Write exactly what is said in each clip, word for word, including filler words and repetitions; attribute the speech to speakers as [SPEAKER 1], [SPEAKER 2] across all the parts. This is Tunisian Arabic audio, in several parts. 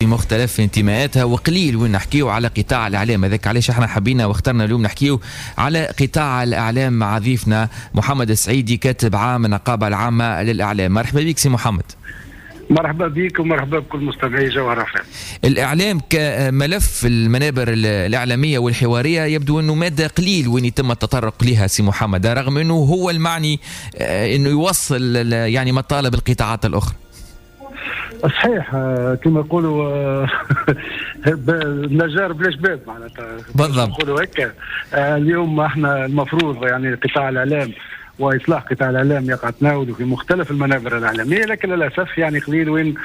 [SPEAKER 1] مختلف انتماءاتها، وقليل وين نحكيو على قطاع الاعلام. هذاك علاش احنا حبينا واخترنا اليوم نحكيو على قطاع الاعلام مع ضيفنا محمد السعيدي، كاتب عام النقابة العامة للاعلام. مرحبا بك سي محمد.
[SPEAKER 2] مرحبا بك ومرحبا بكل مستمعي جوهرة أف أم.
[SPEAKER 1] الاعلام كملف المنابر الاعلامية والحواريه يبدو انه مادة قليل وين يتم التطرق لها سي محمد، رغم انه هو المعني انه يوصل يعني مطالب القطاعات الاخرى.
[SPEAKER 2] صحيح، كما يقولوا النجار بلاش باب، معناتها
[SPEAKER 1] بالضبط
[SPEAKER 2] نقولوا هكا. اليوم احنا المفروض يعني قطاع الاعلام واصلاح قطاع الاعلام يقع تناوله في مختلف المنابر الاعلامية، لكن للاسف يعني قليل وين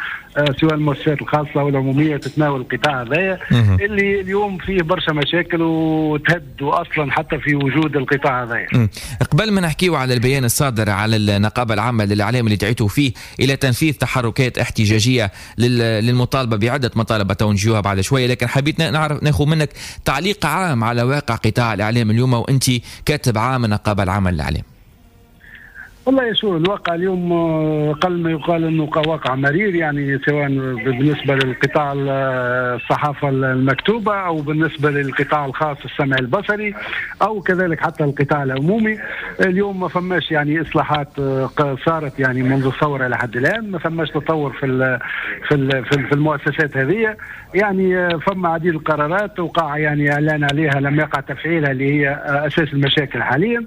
[SPEAKER 2] سواء المؤسسات الخاصة والعموميه تتناول القطاع هذايا اللي اليوم فيه برشا مشاكل وتهدوا اصلا حتى في وجود القطاع هذايا.
[SPEAKER 1] قبل ما نحكيو على البيان الصادر على النقابة العامة للاعلام اللي دعيتوا فيه الى تنفيذ تحركات احتجاجية للمطالبة بعده مطالب تونجيوها بعد شوية، لكن حبيت نعرف ناخذ منك تعليق عام على واقع قطاع الاعلام اليوم وانت كاتب عام النقابة العامة للاعلام.
[SPEAKER 2] والله شو الواقع اليوم قل ما يقال انه واقع مرير، يعني سواء بالنسبة للقطاع الصحافة المكتوبة او بالنسبة للقطاع الخاص السمعي البصري او كذلك حتى القطاع العمومي. اليوم ما فماش يعني اصلاحات صارت يعني منذ الثورة لحد الان، ما فماش تطور في ال في ال في المؤسسات هذه. يعني فما عديد القرارات وقع يعني اعلان عليها لم يقع تفعيلها اللي هي اساس المشاكل حاليا،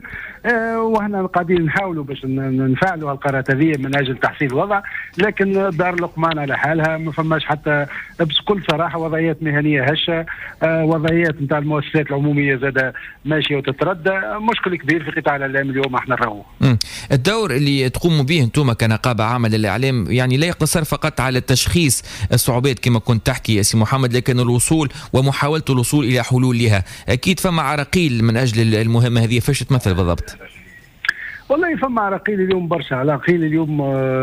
[SPEAKER 2] وإحنا قاعدين نحاولوا باش نفعلوا القرارات هذه من اجل تحسين الوضع، لكن دار لقمان على حالها، ما فماش حتى بكل صراحة وضعيات مهنية هشه، وضعيات نتاع المؤسسات العمومية زاده ماشية وتتردى. مشكل كبير في قطاع الاعلام اليوم احنا نراوه.
[SPEAKER 1] الدور اللي تقوموا به انتم كنقابه عامة للاعلام يعني لا يقتصر فقط على تشخيص الصعوبات كما كنت تحكي يا سي محمد، لكن الوصول ومحاولة الوصول الى حلول لها. اكيد فما عراقيل من اجل المهمة هذه، فاش تمثل بالضبط؟
[SPEAKER 2] والله فما عراقيل اليوم برشا عراقيل اليوم،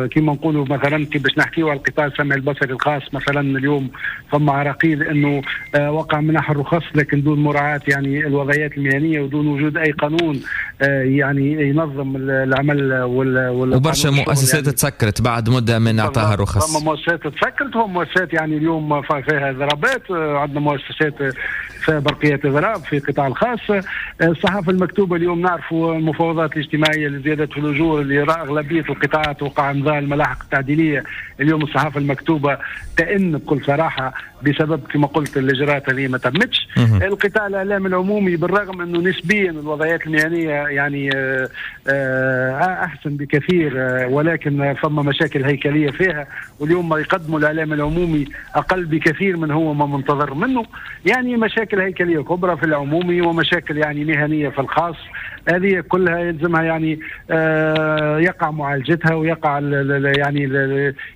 [SPEAKER 2] كما نقولوا مثلا كي باش نحكيو على القطاع السمعي البصري الخاص مثلا، اليوم فما عراقيل انه وقع منح الرخص لكن دون مراعاة يعني الوضعيات المهنية ودون وجود اي قانون يعني ينظم العمل وال
[SPEAKER 1] وبرشا مؤسسات يعني تسكرت بعد مده من اعطاها الرخص.
[SPEAKER 2] فما مؤسسات تسكرت ومؤسسات يعني اليوم فيها ضربات، عندنا مؤسسات فيها برقيات اضراب في القطاع الخاص. الصحافة المكتوبة اليوم نعرفوا المفاوضات الاجتماعية زيادة في الأجور اللي أغلبية القطاعات وقع إمضاء الملاحق التعديلية. اليوم الصحافة المكتوبة تئن بكل صراحة بسبب كما قلت الإجراءات هذه ما تمتش. القطاع الإعلام العمومي بالرغم أنه نسبيا الوضعيات المهنية يعني أحسن بكثير، ولكن فما مشاكل هيكلية فيها، واليوم ما يقدموا الإعلام العمومي أقل بكثير من هو ما منتظر منه. يعني مشاكل هيكلية كبرى في العمومي ومشاكل يعني مهنية في الخاص، هذه كلها يلزمها يعني يقع معالجتها ويقع يعني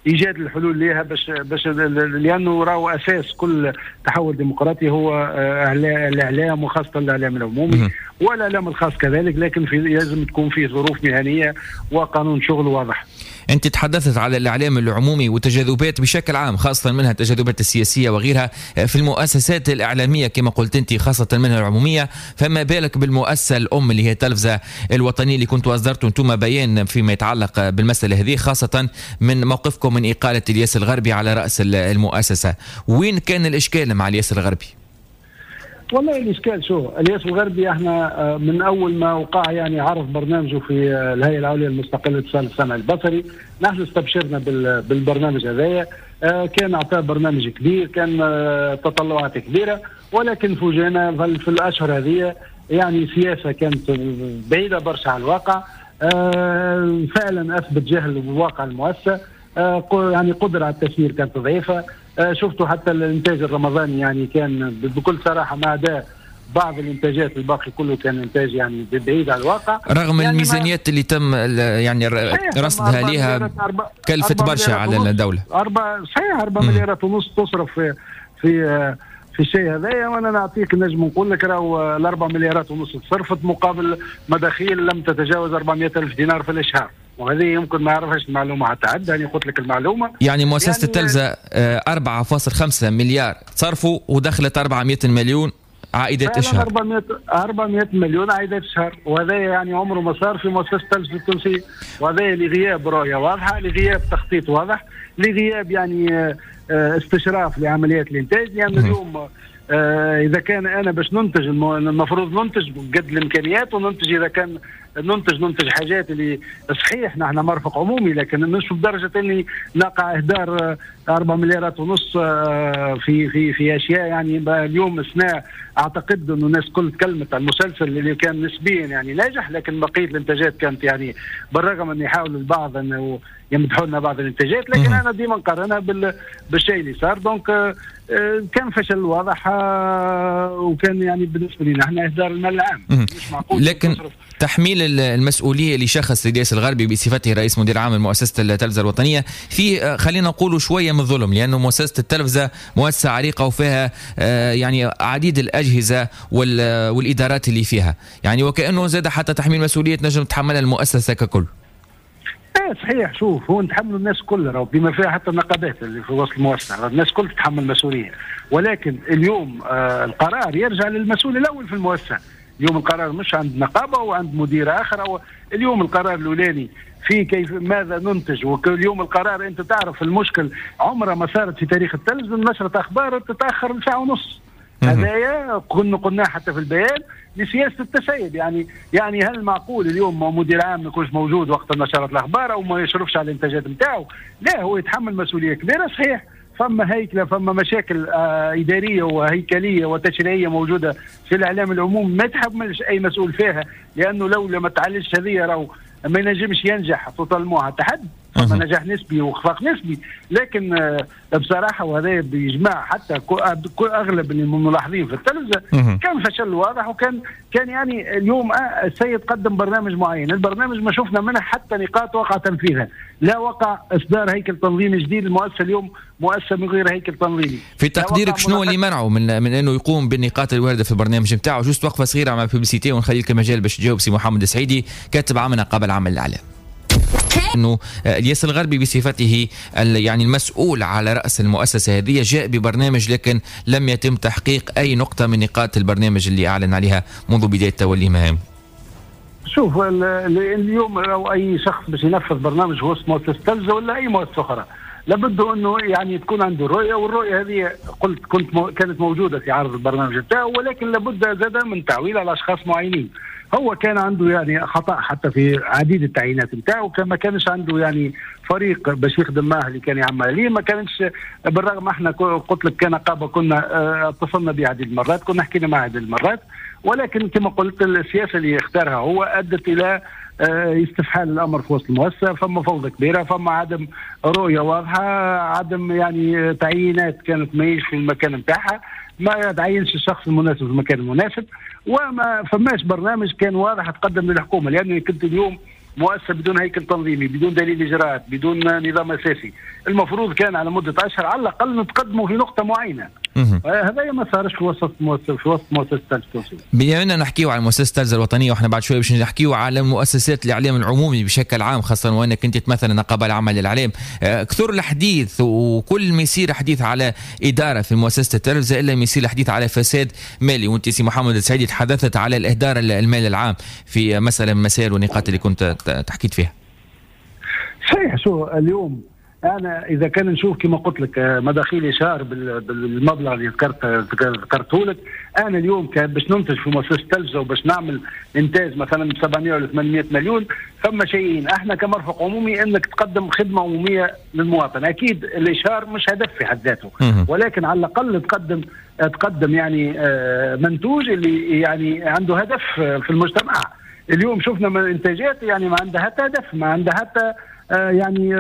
[SPEAKER 2] ايجاد الحلول لها باش باش لانه راهو اساس كل تحول ديمقراطي هو الاعلام، وخاصة الاعلام العمومي والاعلام الخاص كذلك، لكن في لازم تكون فيه ظروف مهنية وقانون شغل واضح.
[SPEAKER 1] انت تحدثت على الاعلام العمومي وتجاذبات بشكل عام، خاصة منها التجاذبات السياسية وغيرها في المؤسسات الاعلامية كما قلت انت، خاصة منها العمومية، فما بالك بالمؤسسه الام اللي هي التلفزة الوطنية اللي كنتوا اصدرتوا انتم بيان فيما يتعلق بالمسالة هذه، خاصة من موقفكم من اقاله الياس الغربي على راس المؤسسة. وين كان الاشكال مع الياس الغربي؟
[SPEAKER 2] والله الاشكال شو الياس الغربي احنا من اول ما وقع يعني عرض برنامجه في الهيئة العليا المستقلة للاتصال السمعي البصري، نحن استبشرنا بالبرنامج هذايا، كان اعطاه برنامج كبير، كان تطلعات كبيرة، ولكن فوجئنا في الاشهر هذه يعني سياسة كانت بعيدة برشا على الواقع. فعلا اثبت جهل بواقع المؤسسة، يعني قدره على التسيير كانت ضعيفة. شفتوا حتى الانتاج الرمضاني يعني كان بكل صراحة ما عدا بعض الانتاجات الباقي كله كان انتاج يعني بعيد على الواقع،
[SPEAKER 1] رغم يعني الميزانيات اللي تم يعني رصدها لها كلفت برشا على الدولة.
[SPEAKER 2] أربع صحيح أربع مليارات ونص تصرف في في في الشيء هذايا، وانا نعطيك نجم نقول لك راهو الأربع مليارات ونص تصرفت مقابل مداخيل لم تتجاوز أربعمائة ألف دينار في الاشهار، وهذه يمكن ما يعرفهاش المعلومة حتى عد، يعني قلت لك المعلومة.
[SPEAKER 1] يعني مؤسسة يعني التلفزة أربعة فاصل خمسة مليار تصرفوا ودخلت أربعمائة مليون عائدات الشهر.
[SPEAKER 2] أربعمائة مليون عائدات الشهر، وهذا يعني عمره ما صار في مؤسسة التلفزة التونسية، وهذا لغياب رؤية واضحة، لغياب تخطيط واضح، لغياب يعني استشراف لعمليات الانتاج. لان يعني اليوم اذا كان انا باش ننتج المفروض ننتج قد الامكانيات، وننتج اذا كان ننتج ننتج حاجات اللي صحيح نحن مرفق عمومي، لكن مش بدرجة اني نقع اهدار أربعة مليارات ونص في في في اشياء. يعني اليوم السنة اعتقد انه الناس كل تكلمت عن المسلسل اللي كان نسبيا يعني ناجح، لكن بقية الانتاجات كانت يعني بالرغم ان يحاول البعض انه يمدحوا لنا بعض الانتاجات، لكن انا ديما نقارنها بالشيء اللي صار. donc كان فشل واضح، وكان يعني بالنسبة لنا احنا اهدار المال العام مش معقول.
[SPEAKER 1] لكن تحميل المسؤولية لشخص الياس الغربي بصفته رئيس مدير عام لمؤسسة التلفزة الوطنية في خلينا نقول شوية من الظلم، لانه مؤسسة التلفزة مؤسسة عريقة وفيها يعني عديد الاجهزة والادارات اللي فيها، يعني وكانه زاد حتى تحميل مسؤولية نجم تحملها المؤسسة ككل.
[SPEAKER 2] ايه صحيح. شوف هو نتحملوا الناس كل راهو بما فيها حتى النقابات اللي في وسط المؤسسة، الناس كل تتحمل مسؤولية، ولكن اليوم آه القرار يرجع للمسؤول الاول في المؤسسة. اليوم القرار مش عند نقابة وعند مدير اخر، أو اليوم القرار الاولاني في كيف ماذا ننتج. واليوم القرار انت تعرف المشكل عمره ما صارت في تاريخ التلفزيون نشره اخبار تتاخر ساعة ونص. هذايا كنا قلناه حتى في البيان لسياسه التسيب. يعني يعني هل معقول اليوم مدير عام ما يكونش موجود وقت نشرات الاخبار او ما يشرفش على الانتاجات نتاعو؟ لا، هو يتحمل مسؤولية كبيرة. صحيح فما هيكله، فما مشاكل آه ادارية وهيكليه وتشريعيه موجودة في الاعلام العمومي ما يتحملش اي مسؤول فيها، لانه لو ما تعالجش هذه راهو ما ينجمش ينجح totalement حتى حد. فما نجاح نسبي واخفاق نسبي، لكن بصراحة وهذا بيجمع حتى اغلب الملاحظين في التلفزة كان فشل واضح. وكان كان يعني اليوم السيد قدم برنامج معين، البرنامج ما شفنا منه حتى نقاط وقع تنفيذها، لا وقع اصدار هيكل تنظيمي جديد. المؤسسة اليوم مؤسسة من غير هيكل تنظيمي.
[SPEAKER 1] في تقديرك شنو اللي منعه من من انه يقوم بالنقاط الواردة في البرنامج نتاعو؟ juste وقفه صغيرة مع publicité ونخلي لك المجال باش تجاوب سي محمد السعيدي كاتب عام نقابة العام للاعلام. انه الياس الغربي بصفته يعني المسؤول على راس المؤسسة هذه جاء ببرنامج، لكن لم يتم تحقيق اي نقطة من نقاط البرنامج اللي اعلن عليها منذ بداية توليه مهام.
[SPEAKER 2] شوف اليوم لو اي شخص باش ينفذ برنامج هو مؤسسة التلفزة ولا اي مؤسسة اخرى لابد انه يعني تكون عنده رؤية، والرؤية هذه قلت كنت مو كانت موجودة في عرض البرنامج بتاعه، ولكن لابد زاد من تعويل على اشخاص معينين. هو كان عنده يعني خطا حتى في عديد التعيينات نتاعو، ما كانش عنده يعني فريق باش يخدم معه اللي كان يعمل عليه، ما كانش بالرغم احنا قلت لك كنقابه كنا اتصلنا به عديد المرات، كنا حكينا معه عديد المرات، ولكن كما قلت السياسة اللي اختارها هو ادت الى استفحال الامر في وسط المؤسسة. فما فوضى كبيرة، فما عدم رؤية واضحة، عدم يعني تعيينات كانت ماهيش في المكان نتاعها، ما تعينش الشخص المناسب في المكان المناسب، وما فماش برنامج كان واضح تقدم للحكومة. لانه كنت اليوم مؤسسة بدون هيكل تنظيمي، بدون دليل اجراءات، بدون نظام اساسي، المفروض كان على مده اشهر على الاقل نتقدموا في نقطة معينة. هذا ما صارش في وسط مؤسسة في وسط مؤسسة التلفزة التونسية.
[SPEAKER 1] بما اننا نحكيو على مؤسسة التلفزة الوطنية واحنا بعد شوية باش نحكيو على مؤسسات الاعلام العمومي بشكل عام، خاصة وانك انت تمثل النقابة العامة للاعلام، كثر الحديث وكل ما يصير حديث على ادارة في مؤسسة التلفزة الا ما يصير الحديث على فساد مالي، وانت سي محمد السعيدي تحدثت على الاهدار المال العام في مسالة من المسائل والنقاط اللي كنت تحكيت فيها.
[SPEAKER 2] صحيح. شو اليوم انا اذا كان نشوف كما قلت لك مداخيل اشهار بالمبلغ اللي ذكرت ذكرته لك، انا اليوم باش ننتج في مؤسسة التلفزة وباش نعمل انتاج مثلا سبعمية ولا ثمانمية مليون، فما شيئين احنا كمرفق عمومي انك تقدم خدمة عموميه للمواطن، اكيد الاشهار مش هدف في حد ذاته، ولكن على الاقل تقدم تقدم يعني منتوج اللي يعني عنده هدف في المجتمع. اليوم شفنا من انتاجات يعني ما عندها حتى هدف، ما عندها حتى يعني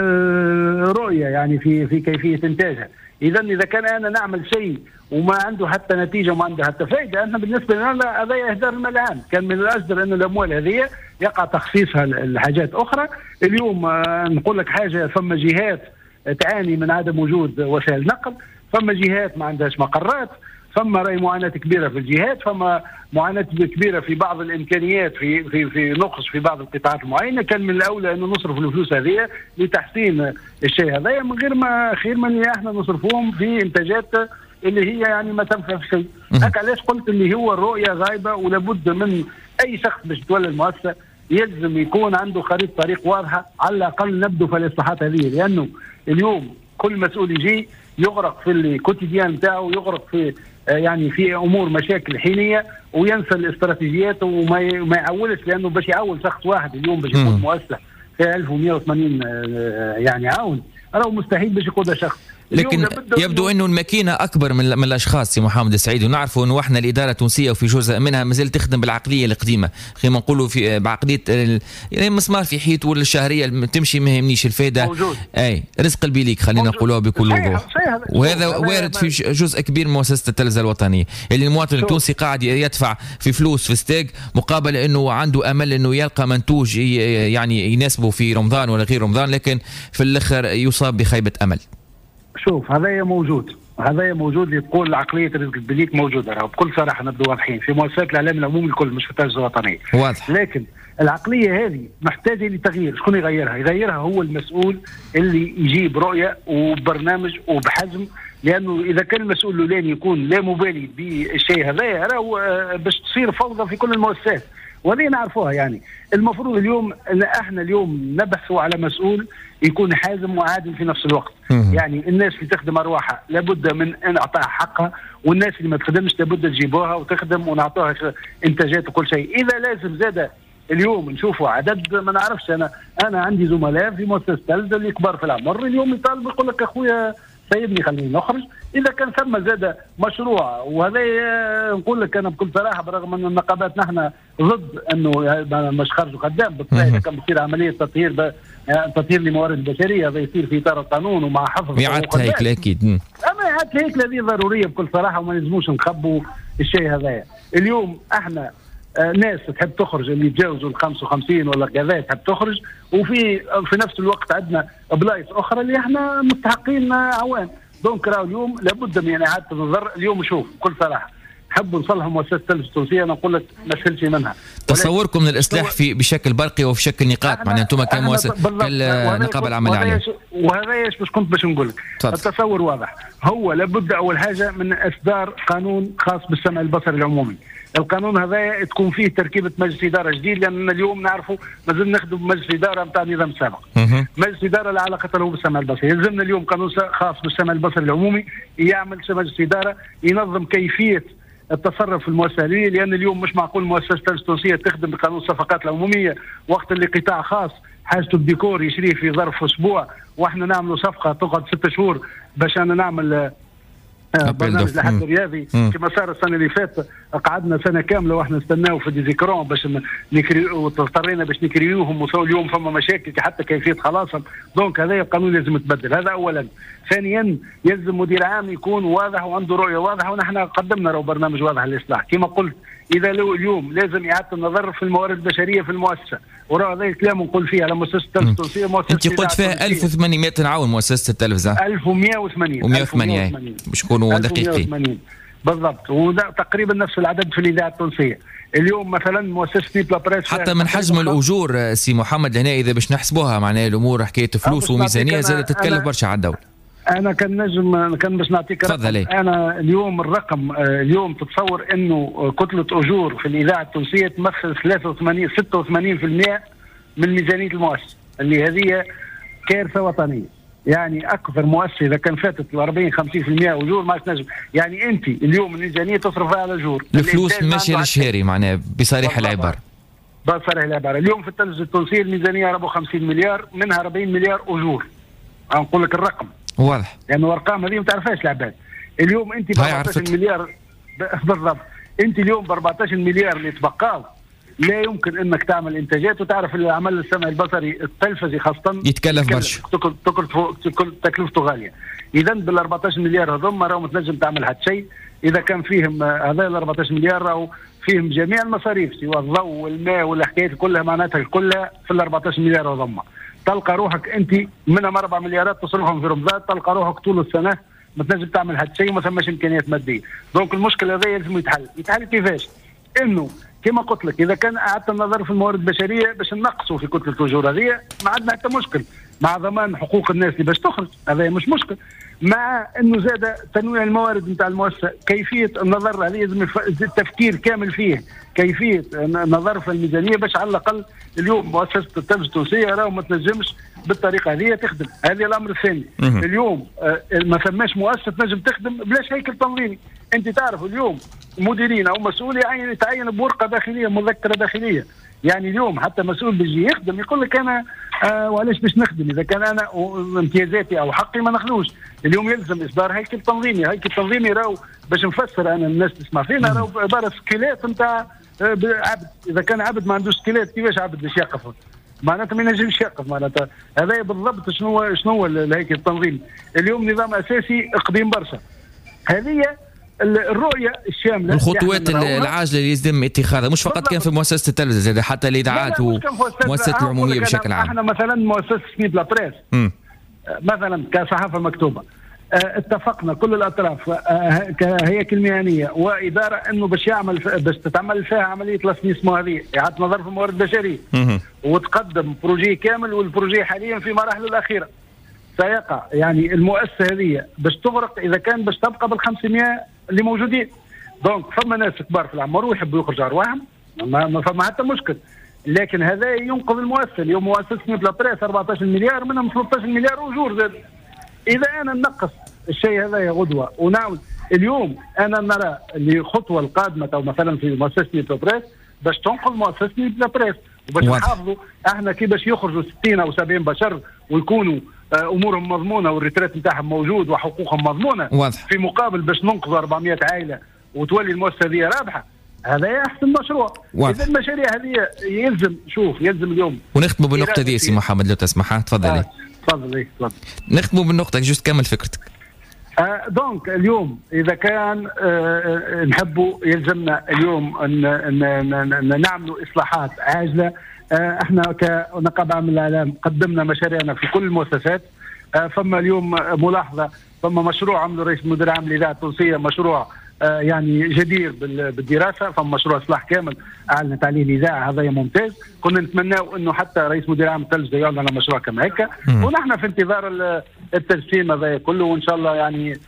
[SPEAKER 2] رؤية يعني في في كيفية انتاجها. اذا اذا كان انا نعمل شيء وما عنده حتى نتيجة وما عنده حتى فائدة، انا بالنسبة لنا هذا اهدار المال العام. كان من الاجدر ان الاموال هذه يقع تخصيصها لحاجات اخرى. اليوم نقول لك حاجة، فما جهات تعاني من عدم وجود وسائل نقل، فما جهات ما عندهاش مقرات، فما راي معاناة كبيرة في الجهات، فما معاناة كبيرة في بعض الامكانيات، في في في نقص في بعض القطاعات المعينة. كان من الاولى انه نصرف الفلوس هذه لتحسين الشيء هذا من غير ما خير من احنا نصرفوهم في انتاجات اللي هي يعني ما تنفع في شيء. هكا علاش قلت اللي هو الرؤية غايبة، ولابد من اي شخص باش يتولى المؤسسة يلزم يكون عنده خريطة طريق واضحة، على الاقل نبدو في الاصلاحات هذه. لانه اليوم كل مسؤول يجي يغرق في ال quotidien نتاعو، يغرق في يعني في امور مشاكل حينيه وينسى الاستراتيجيات وما ما يعولش، لانه باش يعول شخص واحد اليوم باش يكون مؤسسة في ألف ومئة وثمانين يعني عون، راهو مستحيل باش يقودها شخص.
[SPEAKER 1] لكن يبدو انه الماكينة اكبر من من الاشخاص سي محمد السعيد، ونعرفوا انه احنا الادارة التونسية وفي جزء منها مازال تخدم بالعقليه القديمة، خلينا نقولوا في بعقلية يعني مسمار في حيط ولا الشهرية تمشي ما يهمنيش الفائدة.
[SPEAKER 2] موجود.
[SPEAKER 1] اي رزق البيليك خلينا نقولوها بكل وضوح، وهذا وارد في جزء كبير من مؤسسة التلفزة الوطنية اللي المواطن التونسي قاعد يدفع في فلوس في ستاج مقابل انه عنده امل انه يلقى منتوج يعني يناسبه في رمضان ولا غير رمضان، لكن في الاخر يصاب بخيبه امل.
[SPEAKER 2] شوف هذايا موجود، هذايا موجود اللي تقول عقلية رزق البليك موجودة، راهو بكل صراحة نبدو واضحين في مؤسسات الاعلام العمومي الكل مش في التلفزة الوطنية.
[SPEAKER 1] واضح.
[SPEAKER 2] لكن العقلية هذه محتاجه لتغيير، شكون يغيرها؟ يغيرها هو المسؤول اللي يجيب رؤية وبرنامج وبحزم، لانه اذا كان المسؤول الاولاني يكون لا مبالي بالشيء هذايا راهو باش تصير فوضى في كل المؤسسات، وهذه نعرفوها. يعني المفروض اليوم ان احنا اليوم نبحث على مسؤول يكون حازم وعادل في نفس الوقت.
[SPEAKER 1] مم.
[SPEAKER 2] يعني الناس اللي تخدم ارواحها لابد من ان اعطاها حقها، والناس اللي ما تخدمش لابد تجيبوها وتخدم ونعطوها انتاجات وكل شيء. اذا لازم زاد اليوم نشوفوا عدد ما نعرفش، انا انا عندي زملاء في مؤسسة التلفزة اللي كبار في العمر اليوم يطالب يقول لك اخويا سيبني خليني نخرج. اذا كان ثم زاد مشروع، وهذا نقول لك انا بكل صراحة برغم ان النقابات نحن ضد انه مش خرجوا خدام، بالطبع اذا كان بتصير عملية تطهير ب... تطهير لموارد البشرية هذا يصير في اطار القانون ومع حفظ
[SPEAKER 1] اعاده هيكل اكيد.
[SPEAKER 2] اما اعاده الهيكل هذه ضرورية بكل صراحة وما لازموش نخبوا الشيء هذايا. اليوم احنا ناس تحب تخرج اللي يتجاوزوا ال خمسة وخمسين ولا كذا تحب تخرج، وفي في نفس الوقت عندنا بلايص اخرى اللي احنا مستحقين عوان. donc راهو اليوم لابد من اعاده النظر. اليوم شوف بكل صراحة نحبوا نصلحوا مؤسسة التلفزة التونسية، انا نقول لك ما سهلش منها.
[SPEAKER 1] تصوركم من الاصلاح في بشكل برقي وفي شكل نقاط، معناها انتم كمؤسسة كالنقابه العامة الاعلام.
[SPEAKER 2] وهذا ايش باش كنت باش نقول لك، التصور واضح، هو لابد اول حاجة من اصدار قانون خاص بالسمع البصري العمومي. القانون هذا تكون فيه تركيبه مجلس ادارة جديد، لان اليوم نعرفوا مازلنا نخدم بمجلس ادارة نتاع النظام السابق. مجلس ادارة لا علاقة له بالسمع البصري، يلزمنا اليوم قانون خاص بالسمع البصري العمومي يعمل مجلس ادارة ينظم كيفية التصرف في المؤسسة، لان اليوم مش معقول مؤسسة التلفزة التونسية تخدم بقانون الصفقات العمومية وقت اللي قطاع خاص حاجته بديكور يشريه في ظرف اسبوع، واحنا نعملوا صفقة تقعد ست شهور باش انا نعمل برنامج الأحد الرياضي كما صار السنة اللي فاتت. قعدنا سنة كاملة واحنا نستناو في des écrans باش نكري، واضطرينا باش نكريوهم، وصلوا اليوم فما مشاكل حتى كيفية خلاصهم. donc هذا القانون لازم يتبدل، هذا اولا. ثانيا يلزم مدير عام يكون واضح وعنده رؤية واضحة، ونحن قدمنا رو برنامج واضح للاصلاح كما قلت. اذا لو اليوم لازم اعاده النظر في الموارد البشرية في المؤسسة، وراء هذا الكلام نقول فيه على مؤسسة التلفزة التونسية. مؤسسة
[SPEAKER 1] انت قلت فيها ألف وثمانمئة عون مؤسسة التلفزة،
[SPEAKER 2] ألف ومئة وثمانين
[SPEAKER 1] مئة وثمانين باش نكونوا دقيقين
[SPEAKER 2] بالضبط، وتقريبا نفس العدد في الاذاعة التونسية. اليوم مثلا مؤسسة نيت لابريس
[SPEAKER 1] حتى من حجم الاجور سي محمد هنا اذا باش نحسبوها معناها الامور حكاية فلوس وميزانيه زادت تتكلف برشا على الدولة.
[SPEAKER 2] انا كان نجم كان باش نعطيك رقم. انا اليوم الرقم اليوم تتصور انه كتلة اجور في الاذاعة التونسية تمثل ثلاثة وثمانين ستة وثمانين بالمئة من ميزانية المؤسسة، اللي هذه كارثة وطنية. يعني اكثر مؤسسة اذا كان فاتت أربعين خمسين بالمئة اجور ما تنجم. يعني انت اليوم الميزانية تصرفها على اجور،
[SPEAKER 1] الفلوس ماشية للشهري معناها بصريح العبارة.
[SPEAKER 2] بصريح العبارة اليوم في التلفزة التونسية الميزانية أربعة وخمسين مليار، منها أربعين مليار اجور. نقول لك الرقم
[SPEAKER 1] واضح،
[SPEAKER 2] لانه يعني الارقام هذه ما تعرفهاش العباد. اليوم انت ب أربعة عشر مليار بالضبط، انت اليوم ب أربعة عشر مليار اللي تبقاو لا يمكن انك تعمل انتاجات. وتعرف العمل السمعي البصري التلفزي خاصة
[SPEAKER 1] يتكلف برشا،
[SPEAKER 2] تكلفته غالية. اذا بال أربعة عشر مليار هذوما راهو ما تنجم تعمل حتى شيء. اذا كان فيهم هذا ال أربعة عشر مليار راهو فيهم جميع المصاريف سواء الضوء والماء والحكايات كلها، معناتها كلها في ال أربعة عشر مليار هذوما. تلقى روحك انت منهم أربع مليارات تصرفهم في رمضان، تلقى روحك طول السنة ما تنجم تعمل حتى شيء وما ثماش امكانيات مادية. donc المشكل هذا لازم يتحل. يتحل كيفاش؟ انه كما قلت لك اذا كان اعاده النظر في الموارد البشرية باش نقصوا في كتلة الاجور هذه ما عندنا حتى مشكل. مع ضمان حقوق الناس اللي باش تخرج، هذا مش مشكل. مع انه زاد تنويع الموارد نتاع المؤسسة، كيفية النظر عليه لازم التفكير كامل فيه، كيفية النظر في الميزانية باش على الاقل اليوم مؤسسة التلفزة التونسية راهو ما تنجمش بالطريقة هذه تخدم. هذا الامر الثاني. اليوم ما فماش مؤسسة تنجم تخدم بلاش هيكل تنظيمي. انت تعرف اليوم مديرين او مسؤول يعين يتعين بورقه داخلية، مذكره داخلية. يعني اليوم حتى مسؤول بيجي يخدم يقول لك انا آه وعلاش باش نخدم اذا كان انا امتيازاتي او حقي ما ناخذوش. اليوم يلزم اصدار هيكل تنظيمي، هيكل تنظيمي راهو باش نفسر انا الناس تسمع فينا راهو عبارة squelette نتاع عبد، اذا كان عبد ما عندوش squelette كيفاش عبد باش يقف؟ معناتها ما ينجمش يقف. معناتها هذا بالضبط شنو شنو الهيكل التنظيمي. اليوم نظام اساسي قديم برشا. هذه الرؤية الشاملة،
[SPEAKER 1] الخطوات العاجلة اللي يتم اتخاذها مش فقط كان في مؤسسة التلفزة، حتى الاذاعات والمؤسسات العمومية بشكل عام.
[SPEAKER 2] احنا مثلا مؤسسة Nuit de la Presse مثلا كصحافه مكتوبة اتفقنا كل الاطراف كهياكل مهنية واداره انه باش يعمل باش تتعمل فيها عملية l'assainissement هذه، اعاده نظر في الموارد البشرية وتقدم projet كامل، وال projet حاليا في مراحله الاخيرة. سيقع يعني المؤسسة هذه باش تغرق اذا كان باش تبقى بال خمسمية اللي موجودين. donc فما ناس كبار في العمر ويحبوا يخرجوا ارواحهم، ما, ما فما حتى مشكل، لكن هذا ينقذ المؤسسة. اليوم مؤسسة Nuit de la Presse أربعطاش مليار، منهم ثلاثطاش مليار اجور زاد. اذا انا نقص الشيء هذا يا غدوه ونعود اليوم، انا نرى اللي الخطوة القادمة او مثلا في مؤسسة Nuit de la Presse باش تنقذ مؤسسة Nuit de la Presse وباش نحافظوا احنا كي باش يخرجوا ستين او سبعين بشر ويكونوا امورهم مضمونه وال retraite نتاعهم موجود وحقوقهم مضمونه.
[SPEAKER 1] واضح.
[SPEAKER 2] في مقابل باش ننقذ أربعمية عائلة وتولي المؤسسة هذه رابحه، هذا احسن مشروع. اذا المشاريع هذه يلزم شوف يلزم اليوم
[SPEAKER 1] ونختموا بالنقطة دي سي محمد لو تسمح. تفضل.
[SPEAKER 2] تفضل تفضل.
[SPEAKER 1] نختموا بالنقطة juste كمل فكرتك.
[SPEAKER 2] آه donc اليوم اذا كان آه نحبوا يلزمنا اليوم ان نعملوا اصلاحات عاجله. احنا كنقابه عامة للاعلام قدمنا مشاريعنا في كل المؤسسات. فما اليوم ملاحظة، فما مشروع عمله رئيس المدير العام للاذاعة التونسية، مشروع يعني جدير بالدراسة، فما مشروع اصلاح كامل اعلنت عليه الاذاعة، هذا ممتاز. كنا نتمناو انه حتى رئيس مدير عام التلفزة يعلن على مشروع كما هكا، ونحن في انتظار التجسيم هذا كله، وان شاء الله يعني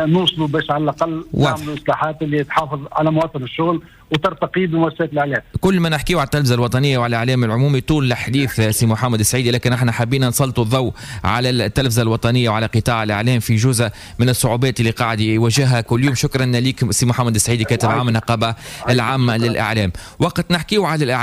[SPEAKER 2] نوصلوا باش على الاقل نعملوا اصلاحات اللي تحافظ على مواطن الشغل وترتقي بمؤسسات الاعلام.
[SPEAKER 1] كل ما نحكيو على التلفزة الوطنية وعلى الاعلام العمومي طول الحديث سي محمد السعيدي، لكن احنا حابين نسلطوا الضوء على التلفزة الوطنية وعلى قطاع الاعلام في جزء من الصعوبات اللي قاعد يواجهها كل يوم. شكرا لك سي محمد السعيدي، كاتب عام النقابة العامة للاعلام. وقت نحكيو على الاعلام